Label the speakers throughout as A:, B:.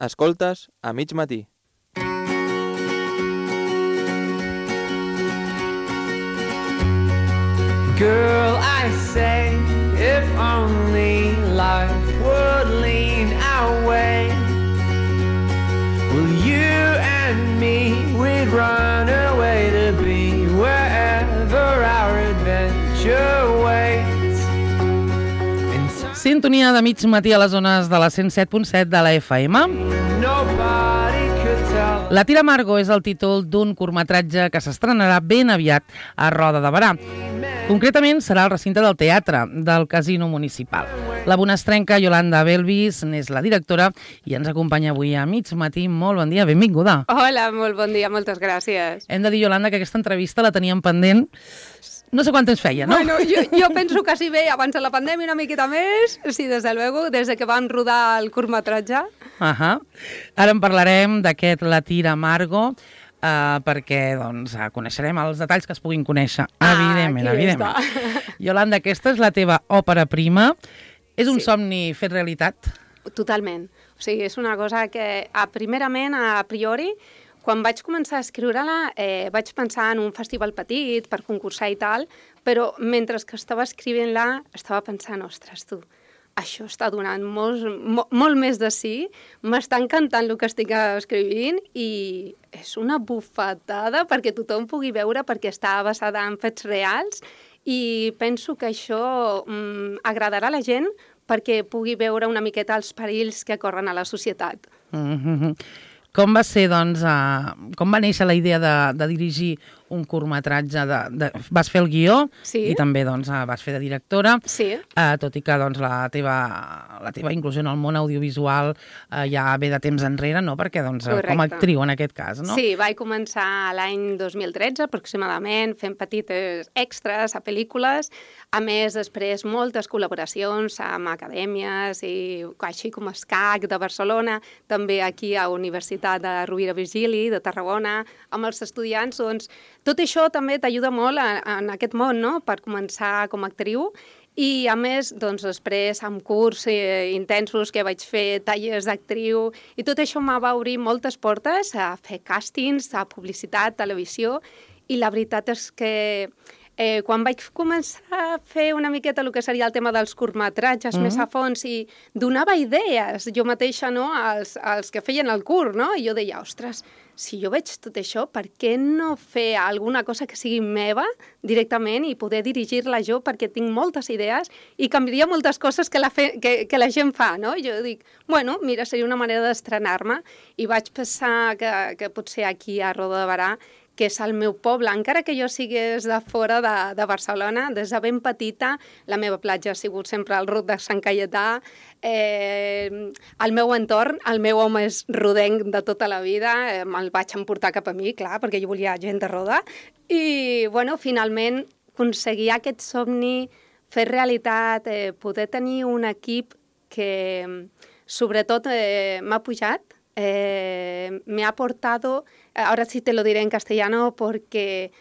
A: Escoltes a mig matí.
B: Girl, I say, if only life would lean our way, well, you and me, we'd run away to be wherever our adventure waits.
C: Sintonia de mig matí a les zones de la 107.7 de la FM.
B: Nobody could tell.
C: La Tira Amargo és el títol d'un curtmetratge que s'estrenarà ben aviat a Roda de Berà. Concretament serà al recinte del teatre del Casino Municipal. La bonastrenca Yolanda Belvis n'és la directora i ens acompanya avui a mig matí. Molt bon dia, benvinguda.
D: Hola, molt bon dia, moltes gràcies.
C: Hem de dir, Yolanda, que aquesta entrevista la teníem pendent no sé quant temps feia, no?
D: Bueno, jo penso que sí, bé, abans de la pandèmia una miqueta més, sí, des de luego, des que vam rodar el curtmetratge.
C: Ara en parlarem d'aquest La Tira Amargo, perquè doncs, coneixerem els detalls que es puguin conèixer, evidentment. Yolanda, aquesta és la teva òpera prima. És un somni fet realitat?
D: Totalment. O sigui, és una cosa que, primerament, a priori, quan vaig començar a escriure-la, vaig pensar en un festival petit per concursar i tal, però mentre que estava escrivint-la, estava pensant, ostres, tu, això està donant molt més de sí, m'està encantant el que estic escrivint i és una bufetada perquè tothom pugui veure, perquè està basada en fets reals i penso que això agradarà a la gent perquè pugui veure una miqueta els perills que corren a la societat.
C: Com va ser, doncs, com va néixer la idea de dirigir un curtmetratge? Vas fer el guió i també doncs, vas fer de directora, tot i que doncs, la teva inclusió en el món audiovisual ja ve de temps enrere, no? Perquè doncs, com a actriu en aquest cas, no?
D: Sí, vaig començar l'any 2013 aproximadament fent petites extras a pel·lícules, a més després moltes col·laboracions amb acadèmies, així com SCAC de Barcelona, també aquí a Universitat de Rovira Virgili, de Tarragona, amb els estudiants, doncs tot això també t'ajuda molt en aquest món, no?, per començar com a actriu. I, a més, doncs, després, amb curs intensos que vaig fer, tallers d'actriu, i tot això m'ha va obrir moltes portes a fer càstings, a publicitat, televisió, i la veritat és que quan vaig començar a fer una miqueta el que seria el tema dels curtmetratges més a fons i donava idees jo mateixa, no?, als que feien el curt, no? I jo deia, ostres, si jo veig tot això, per què no fer alguna cosa que sigui meva directament i poder dirigir-la jo, perquè tinc moltes idees i canviaria moltes coses que la gent fa, no? Jo dic, bueno, mira, seria una manera d'estrenar-me i vaig pensar que potser aquí a Roda de Berà, que és el meu poble, encara que jo sigués de fora de Barcelona, des de ben petita, la meva platja ha sigut sempre el Ruc de Sant Caietà, el meu entorn, el meu home és rodenc de tota la vida, me'l vaig emportar cap a mi, clar, perquè jo volia gent de Roda, i, bueno, finalment, aconseguir aquest somni, fer realitat, poder tenir un equip que, sobretot, m'ha pujat, me ha aportado, ahora sí te lo diré en castellano, porque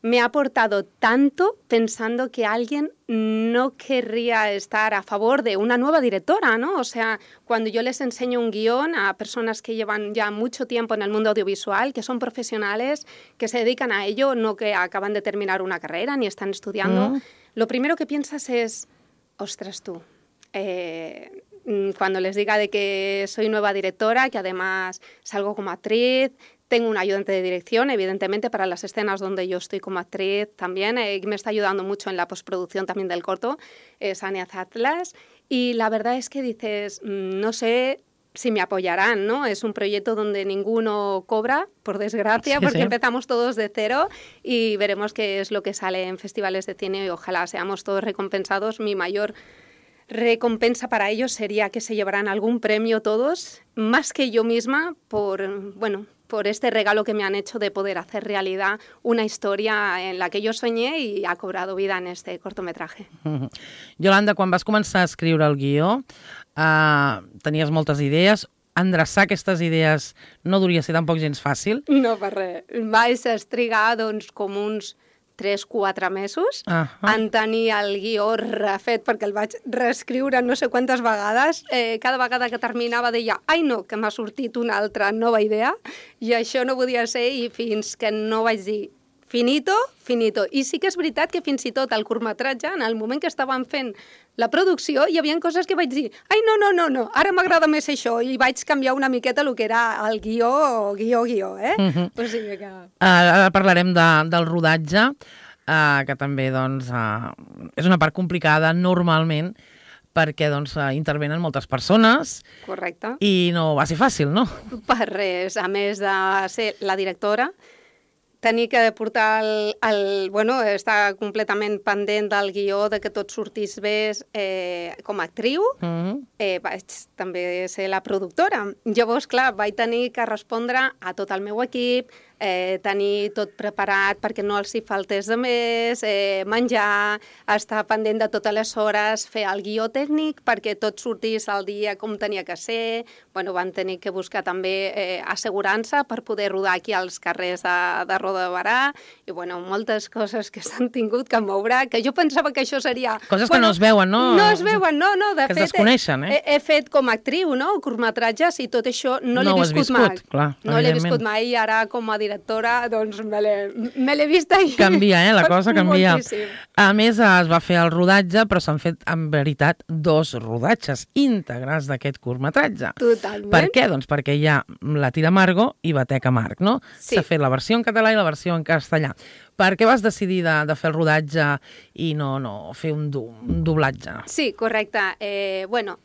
D: me ha aportado tanto pensando que alguien no querría estar a favor de una nueva directora, ¿no? O sea, cuando yo les enseño un guión a personas que llevan ya mucho tiempo en el mundo audiovisual, que son profesionales, que se dedican a ello, no que acaban de terminar una carrera ni están estudiando, lo primero que piensas es, ostras tú, cuando les diga de que soy nueva directora, que además salgo como actriz, tengo un ayudante de dirección, evidentemente, para las escenas donde yo estoy como actriz también, me está ayudando mucho en la postproducción también del corto, es Ania Zatlas, y la verdad es que dices, no sé si me apoyarán, ¿no? Es un proyecto donde ninguno cobra, por desgracia, porque empezamos todos de cero y veremos qué es lo que sale en festivales de cine y ojalá seamos todos recompensados. Mi mayor recompensa para ellos sería que se llevarán algún premio todos, más que yo misma, por este regalo que me han hecho de poder hacer realidad una historia en la que yo soñé y ha cobrado vida en este cortometraje.
C: Yolanda, quan vas començar a escriure el guió, tenies moltes idees. Endreçar aquestes idees no duria ser tampoc gens fàcil?
D: No, per res. Vaig trigar, doncs, com uns 3-4 mesos en tenir el guió refet, perquè el vaig reescriure no sé quantes vegades. Cada vegada que terminava deia, ai no, que m'ha sortit una altra nova idea, i això no podia ser, i fins que no vaig dir finito, finito. I sí que és veritat que fins i tot el curtmetratge, en el moment que estàvem fent la producció, hi havia coses que vaig dir, ai, no, ara m'agrada més això, i vaig canviar una miqueta el que era el guió, eh? O sigui que...
C: Ara parlarem del rodatge, que també, doncs, és una part complicada normalment, perquè, doncs, intervenen moltes persones.
D: Correcte.
C: I no va ser fàcil, no?
D: Per res. A més de ser la directora, tenir que portar estar completament pendent del guió, de que tot sortís bé com a actriu, vaig també ser la productora. Llavors, clar, vaig tenir que respondre a tot el meu equip, tenir tot preparat perquè no els hi faltés de més, menjar, estar pendent de totes les hores, fer el guió tècnic perquè tot sortís al dia com tenia que ser. Van tenir que buscar també assegurança per poder rodar aquí als carrers de Roda de Berà, i moltes coses que s'han tingut que moure, que jo pensava que això seria...
C: Coses que no es veuen, no?
D: No es veuen, no. De fet,
C: es desconeixen,
D: he fet com a actriu, no? Curtmetratges, i tot això no l'he viscut mai.
C: Clar,
D: no l'he viscut mai, i ara com a directora, doncs me l'he vist ahir.
C: Canvia, la cosa canvia.
D: Moltíssim.
C: A més, es va fer el rodatge, però s'han fet, en veritat, 2 rodatges íntegres d'aquest curtmetratge.
D: Totalment.
C: Per què? Doncs perquè hi ha La Tira Margo i Bateca Marc, no?
D: Sí.
C: S'ha fet la versió en català i la versió en castellà. Per què vas decidir de fer el rodatge i no fer un doblatge?
D: Sí, correcte.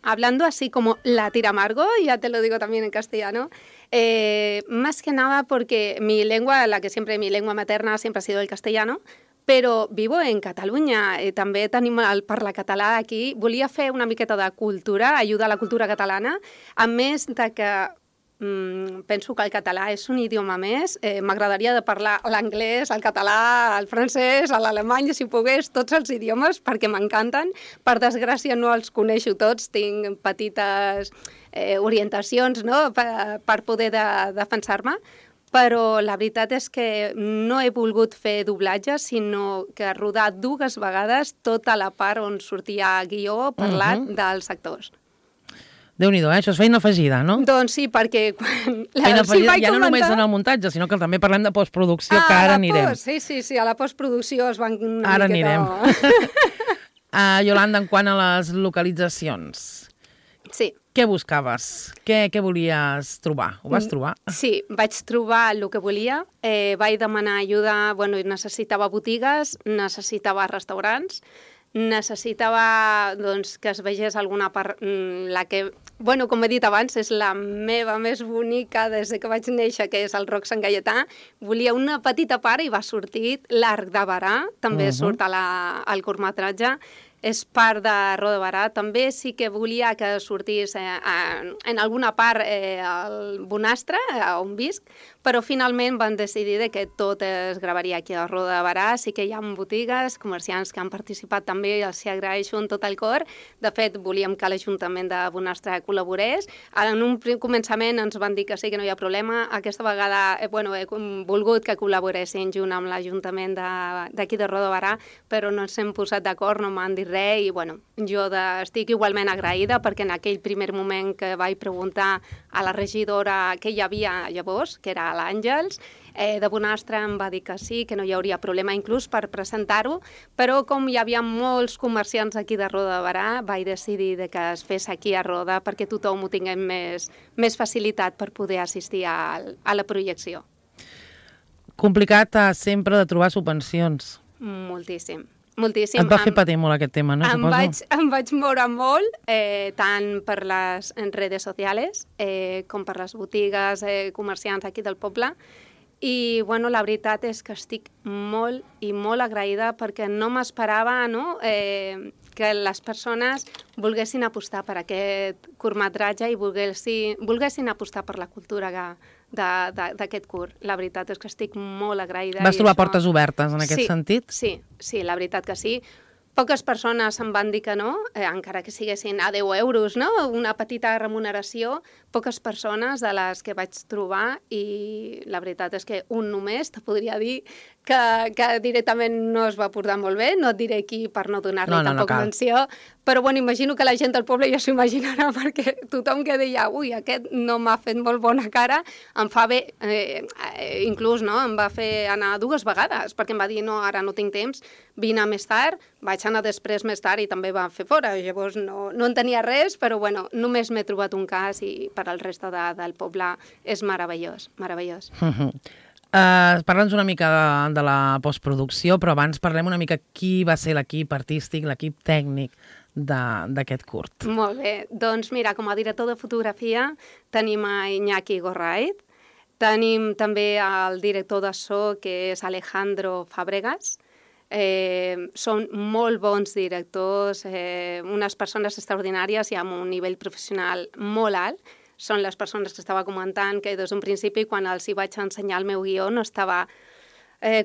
D: Hablando así como La Tira Margo, ya te lo digo también en castellano, más que nada porque mi lengua materna siempre ha sido el castellano, però vivo en Catalunya, també tenim el parla català aquí. Volia fer una miqueta de cultura, ajudar a la cultura catalana, a més de que penso que el català és un idioma més. M'agradaria de parlar l'anglès, el català, el francès, l'alemany, si pogués, tots els idiomes, perquè m'encanten. Per desgràcia no els coneixo tots, tinc petites orientacions, no?, per poder defensar-me, però la veritat és que no he volgut fer doblatge, sinó que rodar 2 vegades tota la part on sortia guió parlat dels actors.
C: Déu-n'hi-do, això és feina afegida, no?
D: Doncs sí, perquè quan...
C: Feina afegida, ja no només en el muntatge, sinó que també parlem de postproducció, que ara anirem.
D: Sí, a la postproducció es van una
C: miqueta... Ara
D: anirem.
C: Yolanda, en quant a les localitzacions,
D: sí.
C: Què buscaves? Què volies trobar? Ho vas trobar?
D: Sí, vaig trobar el que volia. Vaig demanar ajuda, necessitava botigues, necessitava restaurants, necessitava que es vegés alguna part, la que, com he dit abans, és la meva més bonica des que vaig néixer, que és el Roc Sant Gaietà. Volia una petita part i va sortir l'Arc de Berà, també surt al curtmetratge. És part de Roda de Berà. També sí que volia que sortís en alguna part el Bonastre, on visc, però finalment van decidir que tot es gravaria aquí a Roda de Berà. Sí que hi ha botigues, comerciants que han participat també, els hi agraeixo en tot el cor. De fet, volíem que l'Ajuntament de Bonastre col·laborés. En un començament ens van dir que sí, que no hi ha problema. Aquesta vegada he volgut que col·laboressin junt amb l'Ajuntament d'aquí de Roda de Berà, però no ens hem posat d'acord, no m'han dit res, i jo estic igualment agraïda perquè en aquell primer moment que vaig preguntar a la regidora què hi havia llavors, que era l'Àngels, de Bonastre em va dir que sí, que no hi hauria problema inclús per presentar-ho, però com hi havia molts comerciants aquí de Roda de Berà, vaig decidir que es fes aquí a Roda perquè tothom ho tinguem més facilitat per poder assistir a la projecció.
C: Complicat sempre de trobar subvencions.
D: Moltíssim.
C: Et va fer patir molt aquest tema, no?
D: Em vaig moure molt, tant per les redes socials com per les botigues, comerciants aquí del poble. I la veritat és que estic molt i molt agraïda perquè no m'esperava que les persones volguessin apostar per aquest curtmetratge i volguessin apostar per la cultura d'aquest curt. La veritat és que estic molt agraïda.
C: Vas trobar portes obertes en aquest sentit?
D: Sí, la veritat que sí. Poques persones em van dir que no, encara que siguessin a 10 euros, no? Una petita remuneració, poques persones de les que vaig trobar, i la veritat és que un només te podria dir que directament no es va portar molt bé, no et diré qui per no donar-li tampoc menció, però bueno, imagino que la gent del poble ja s'ho imaginarà, perquè tothom que deia, ui, aquest no m'ha fet molt bona cara, em fa bé, inclús no, em va fer anar 2 vegades, perquè em va dir, no, ara no tinc temps, vine més tard, vaig anar després més tard i també va fer fora, llavors no en tenia res, però bueno, només m'he trobat un cas i per al reste del poble és meravellós, meravellós.
C: Parla'ns una mica de la postproducció, però abans parlem una mica qui va ser l'equip artístic, l'equip tècnic d'aquest curt.
D: Molt bé, doncs mira, com a director de fotografia tenim a Iñaki Gorraiz, tenim també el director de so, que és Alejandro Fàbregas. Són molt bons directors, unes persones extraordinàries i amb un nivell professional molt alt. Són les persones que estava comentant que des d'un principi, quan els hi vaig ensenyar el meu guió, no estava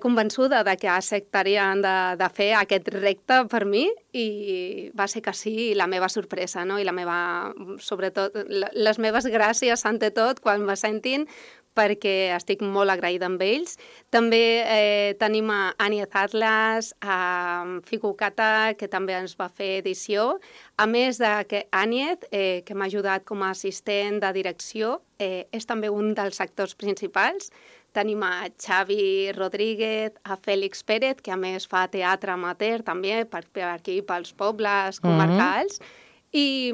D: convençuda de que acceptarien de fer aquest repte per mi i va ser que sí, i la meva sorpresa, no? I la meva, sobretot, les meves gràcies, ante tot, quan me sentin, perquè estic molt agraïda amb ells. També tenim a Aniez Atlas, a Fico Cata, que també ens va fer edició. A més de que Aniez, que m'ha ajudat com a assistent de direcció, és també un dels actors principals. Tenim a Xavi Rodríguez, a Fèlix Pérez, que a més fa teatre amateur també, per aquí, pels pobles comarcals. I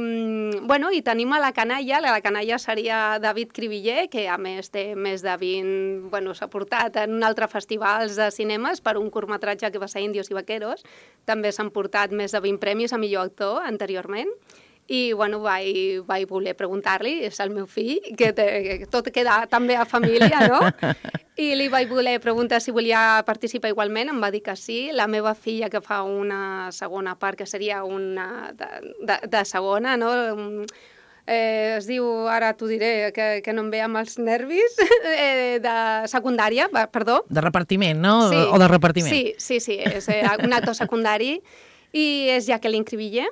D: tenim a la canalla. La canalla seria David Cribiller, que a més té més de 20... s'ha portat en un altre festivals de cinemes per un curtmetratge que va ser Indios i Vaqueros. També s'han portat més de 20 premis a millor actor anteriorment. I vaig voler preguntar-li, és el meu fill, que tot queda també a família, no? I li vaig voler preguntar si volia participar igualment, em va dir que sí. La meva filla, que fa una segona part, que seria una de segona, no? Es diu, ara t'ho diré, que no em ve amb els nervis, de secundària, perdó.
C: De repartiment, no?
D: Sí.
C: O de repartiment.
D: Sí, és un actor secundari i és Jacqueline Cribiller.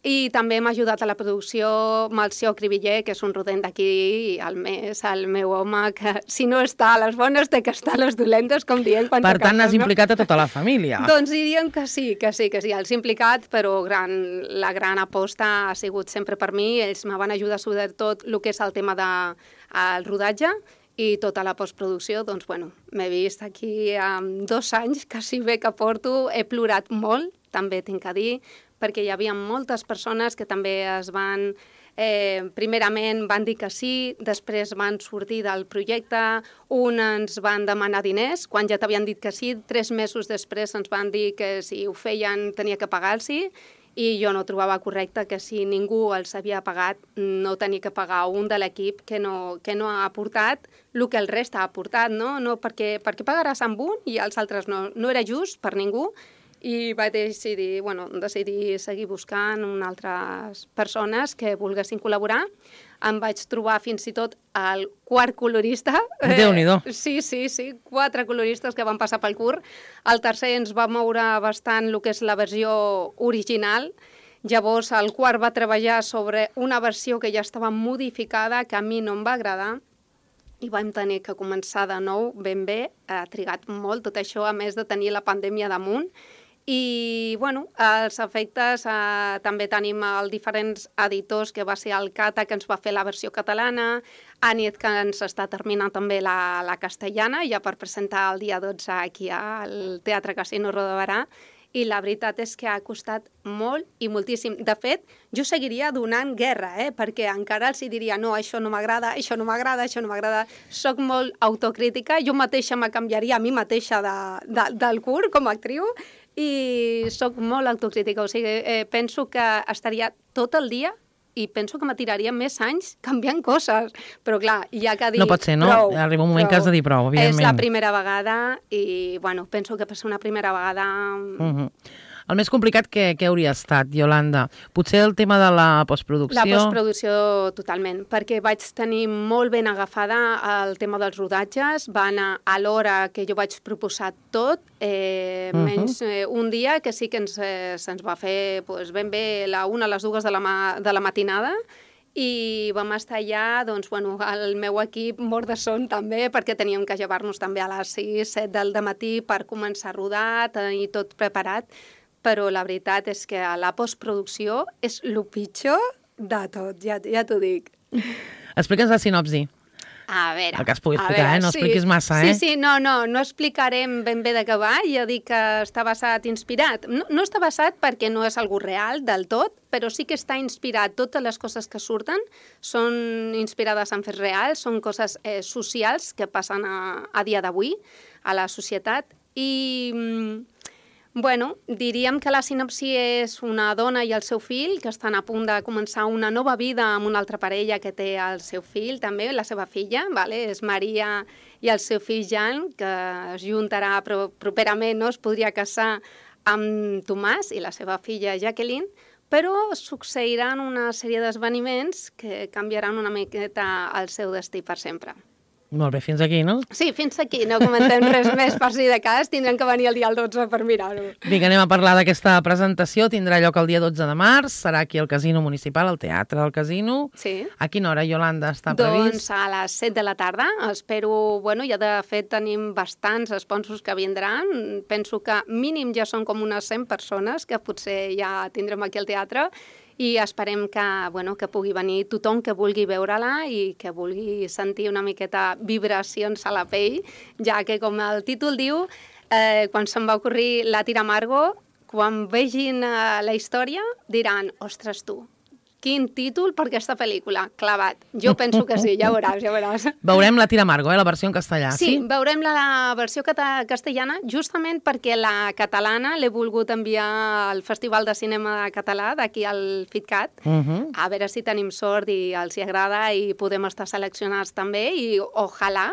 D: I també m'ha ajudat a la producció Melcior Cribiller, que és un rodent d'aquí, el meu home, que si no està a les bones té que estar a les dolentes, com diem.
C: Per tant, has implicat a tota la família.
D: Doncs diríem que sí, els he implicat, però la gran aposta ha sigut sempre per mi. Ells me van ajudar sobretot el que és el tema del rodatge i tota la postproducció. Doncs, m'he vist aquí amb 2 anys, quasi bé que porto, he plorat molt, també tinc que dir, perquè hi havia moltes persones que també es van, primerament van dir que sí, després van sortir del projecte, ens van demanar diners, quan ja t'havien dit que sí, 3 mesos després ens van dir que si ho feien tenia que pagar-los, i jo no trobava correcte que si ningú els havia pagat no tenia que pagar un de l'equip que no ha aportat el que el rest ha aportat, no? No perquè pagaràs amb un i els altres no. No era just per ningú. I vaig decidir seguir buscant altres persones que volguessin col·laborar. Em vaig trobar fins i tot el 4 colorista.
C: Déu-n'hi-do.
D: Sí, 4 coloristes que van passar pel curt. El tercer ens va moure bastant el que és la versió original. Llavors el quart va treballar sobre una versió que ja estava modificada, que a mi no em va agradar, i vam tenir que començar de nou ben bé. Ha trigat molt tot això, a més de tenir la pandèmia damunt. I, els efectes, també tenim els diferents editors, que va ser el Cata, que ens va fer la versió catalana, Aniez, que ens està terminant també la castellana, ja per presentar el dia 12 aquí al Teatre Casino Roda, i la veritat és que ha costat molt i moltíssim. De fet, jo seguiria donant guerra, perquè encara els diria, no, això no m'agrada, això no m'agrada, això no m'agrada. Soc molt autocrítica, jo mateixa me canviaria a mi mateixa del curt com a actriu, i soc molt autocrítica, o sigui, penso que estaria tot el dia i penso que m'atiraria més anys canviant coses, però clar, hi ha que dir...
C: No pot ser, no? Arriba un moment que has de dir prou, evidentment.
D: És la primera vegada i, penso que per ser una primera vegada...
C: El més complicat que hauria estat, Iolanda? Potser el tema de la postproducció?
D: La postproducció, totalment, perquè vaig tenir molt ben agafada el tema dels rodatges, va anar a l'hora que jo vaig proposar tot, menys un dia que sí que se'ns va fer ben bé la 1 a les 2 de la matinada, i vam estar allà, doncs, bueno, el meu equip mort de son també, perquè teníem que llevar-nos també a les 6, 7 del matí per començar a rodar, tenir tot preparat, però la veritat és que la postproducció és el pitjor de tot, ja t'ho dic.
C: Explica'ns la sinopsi.
D: A veure...
C: El que es pugui explicar, no expliquis massa,
D: Sí, no explicarem ben bé de què va, ja dic que està basat, inspirat. No està basat perquè no és algú real del tot, però sí que està inspirat. Totes les coses que surten són inspirades en fets reals, són coses socials que passen a dia d'avui a la societat i... Bueno, diríem que la sinopsi és una dona i el seu fill que estan a punt de començar una nova vida amb una altra parella que té el seu fill, també, la seva filla, vale? És Maria i el seu fill Jan, que es juntarà properament, no? Es podria casar amb Tomàs i la seva filla Jacqueline, però succeiran una sèrie d'esdeveniments que canviaran una miqueta el seu destí per sempre.
C: Molt bé, fins aquí, no?
D: Sí, fins aquí. No comentem res més per si de cas. Tindrem que venir el dia 12 per mirar-ho.
C: Vinga, anem a parlar d'aquesta presentació. Tindrà lloc el dia 12 de març. Serà aquí al Casino Municipal, al Teatre del Casino.
D: Sí.
C: A quina hora, Iolanda, està previst?
D: Doncs a les 7 de la tarda. Espero... Bueno, ja de fet tenim bastants sponsors que vindran. Penso que mínim ja són com unes 100 persones que potser ja tindrem aquí al teatre. I esperem que, bueno, que pugui venir tothom que vulgui veure-la i que vulgui sentir una miqueta vibracions a la pell, ja que, com el títol diu, quan se'm va ocorrir La Tira Amargo, quan vegin la història diran, ostres tu, quin títol per aquesta pel·lícula, clavat. Jo penso que sí, ja veuràs, ja veuràs.
C: Veurem La Tira Amargo, la versió en castellà, sí?
D: Sí, veurem la versió castellana justament perquè la catalana l'he volgut enviar al Festival de Cinema Català d'aquí al FitCat, a veure si tenim sort i els hi agrada i podem estar seleccionats també i ojalà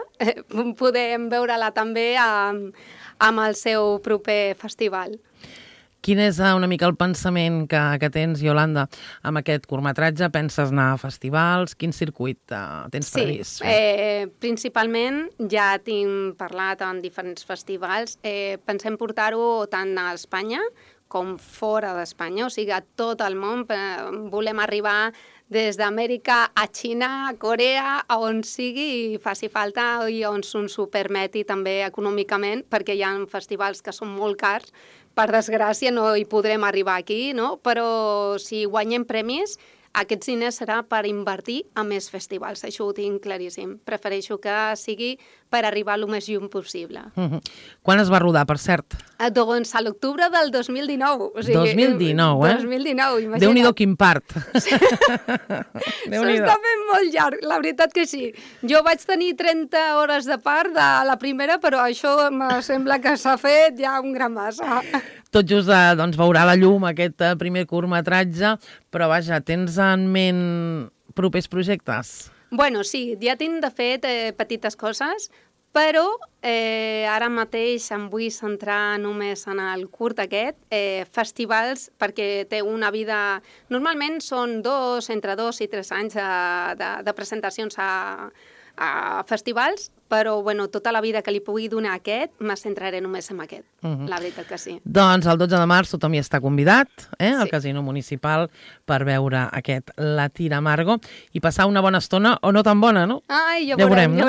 D: podem veure-la també amb el seu proper festival.
C: Quin és una mica el pensament que tens, Iolanda, amb aquest curtmetratge? Penses anar a festivals? Quin circuit tens previst?
D: Sí, principalment ja tinc parlat en diferents festivals. Pensem portar-ho tant a Espanya com fora d'Espanya, o sigui, a tot el món. Volem arribar des d'Amèrica a Xina, a Corea, a on sigui i faci falta i on ens ho permeti també econòmicament, perquè hi ha festivals que són molt cars. Per desgràcia no hi podrem arribar aquí, no? Però si guanyem premis, aquests diners serà per invertir a més festivals. Això ho tinc claríssim. Prefereixo que sigui per arribar el més lluny possible.
C: Quan es va rodar, per cert?
D: Doncs a l'octubre del 2019. O sigui,
C: 2019, eh?
D: 2019, imagina't.
C: Déu-n'hi-do quin part.
D: S'està fent molt llarg, la veritat que sí. Jo vaig tenir 30 hores de part de la primera, però això em sembla que s'ha fet ja un gran massa.
C: Tot just doncs, veurà la llum aquest primer curtmetratge, però vaja, tens en ment propers projectes?
D: Bueno, sí, ja tinc de fet petites coses, però ara mateix em vull centrar només en el curt aquest, festivals, perquè té una vida... Normalment són entre 2 i 3 anys de presentacions a festivals, però bueno, tota la vida que li pugui donar aquest, me centraré només en aquest, la veritat que sí.
C: Doncs el 12 de març tothom hi està convidat, al Casino Municipal, per veure aquest La Tira Amargo i passar una bona estona, o no tan bona, no?
D: Ai, ja veurem, no?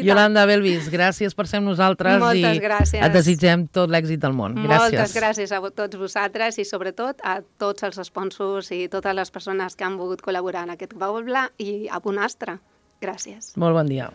C: Yolanda Belvis, gràcies per ser amb nosaltres.
D: Moltes gràcies.
C: Et desitgem tot l'èxit del món. Gràcies.
D: Moltes gràcies a tots vosaltres i sobretot a tots els sponsors i totes les persones que han volgut col·laborar en aquest poble i a Bonastre. Gràcies.
C: Molt bon dia.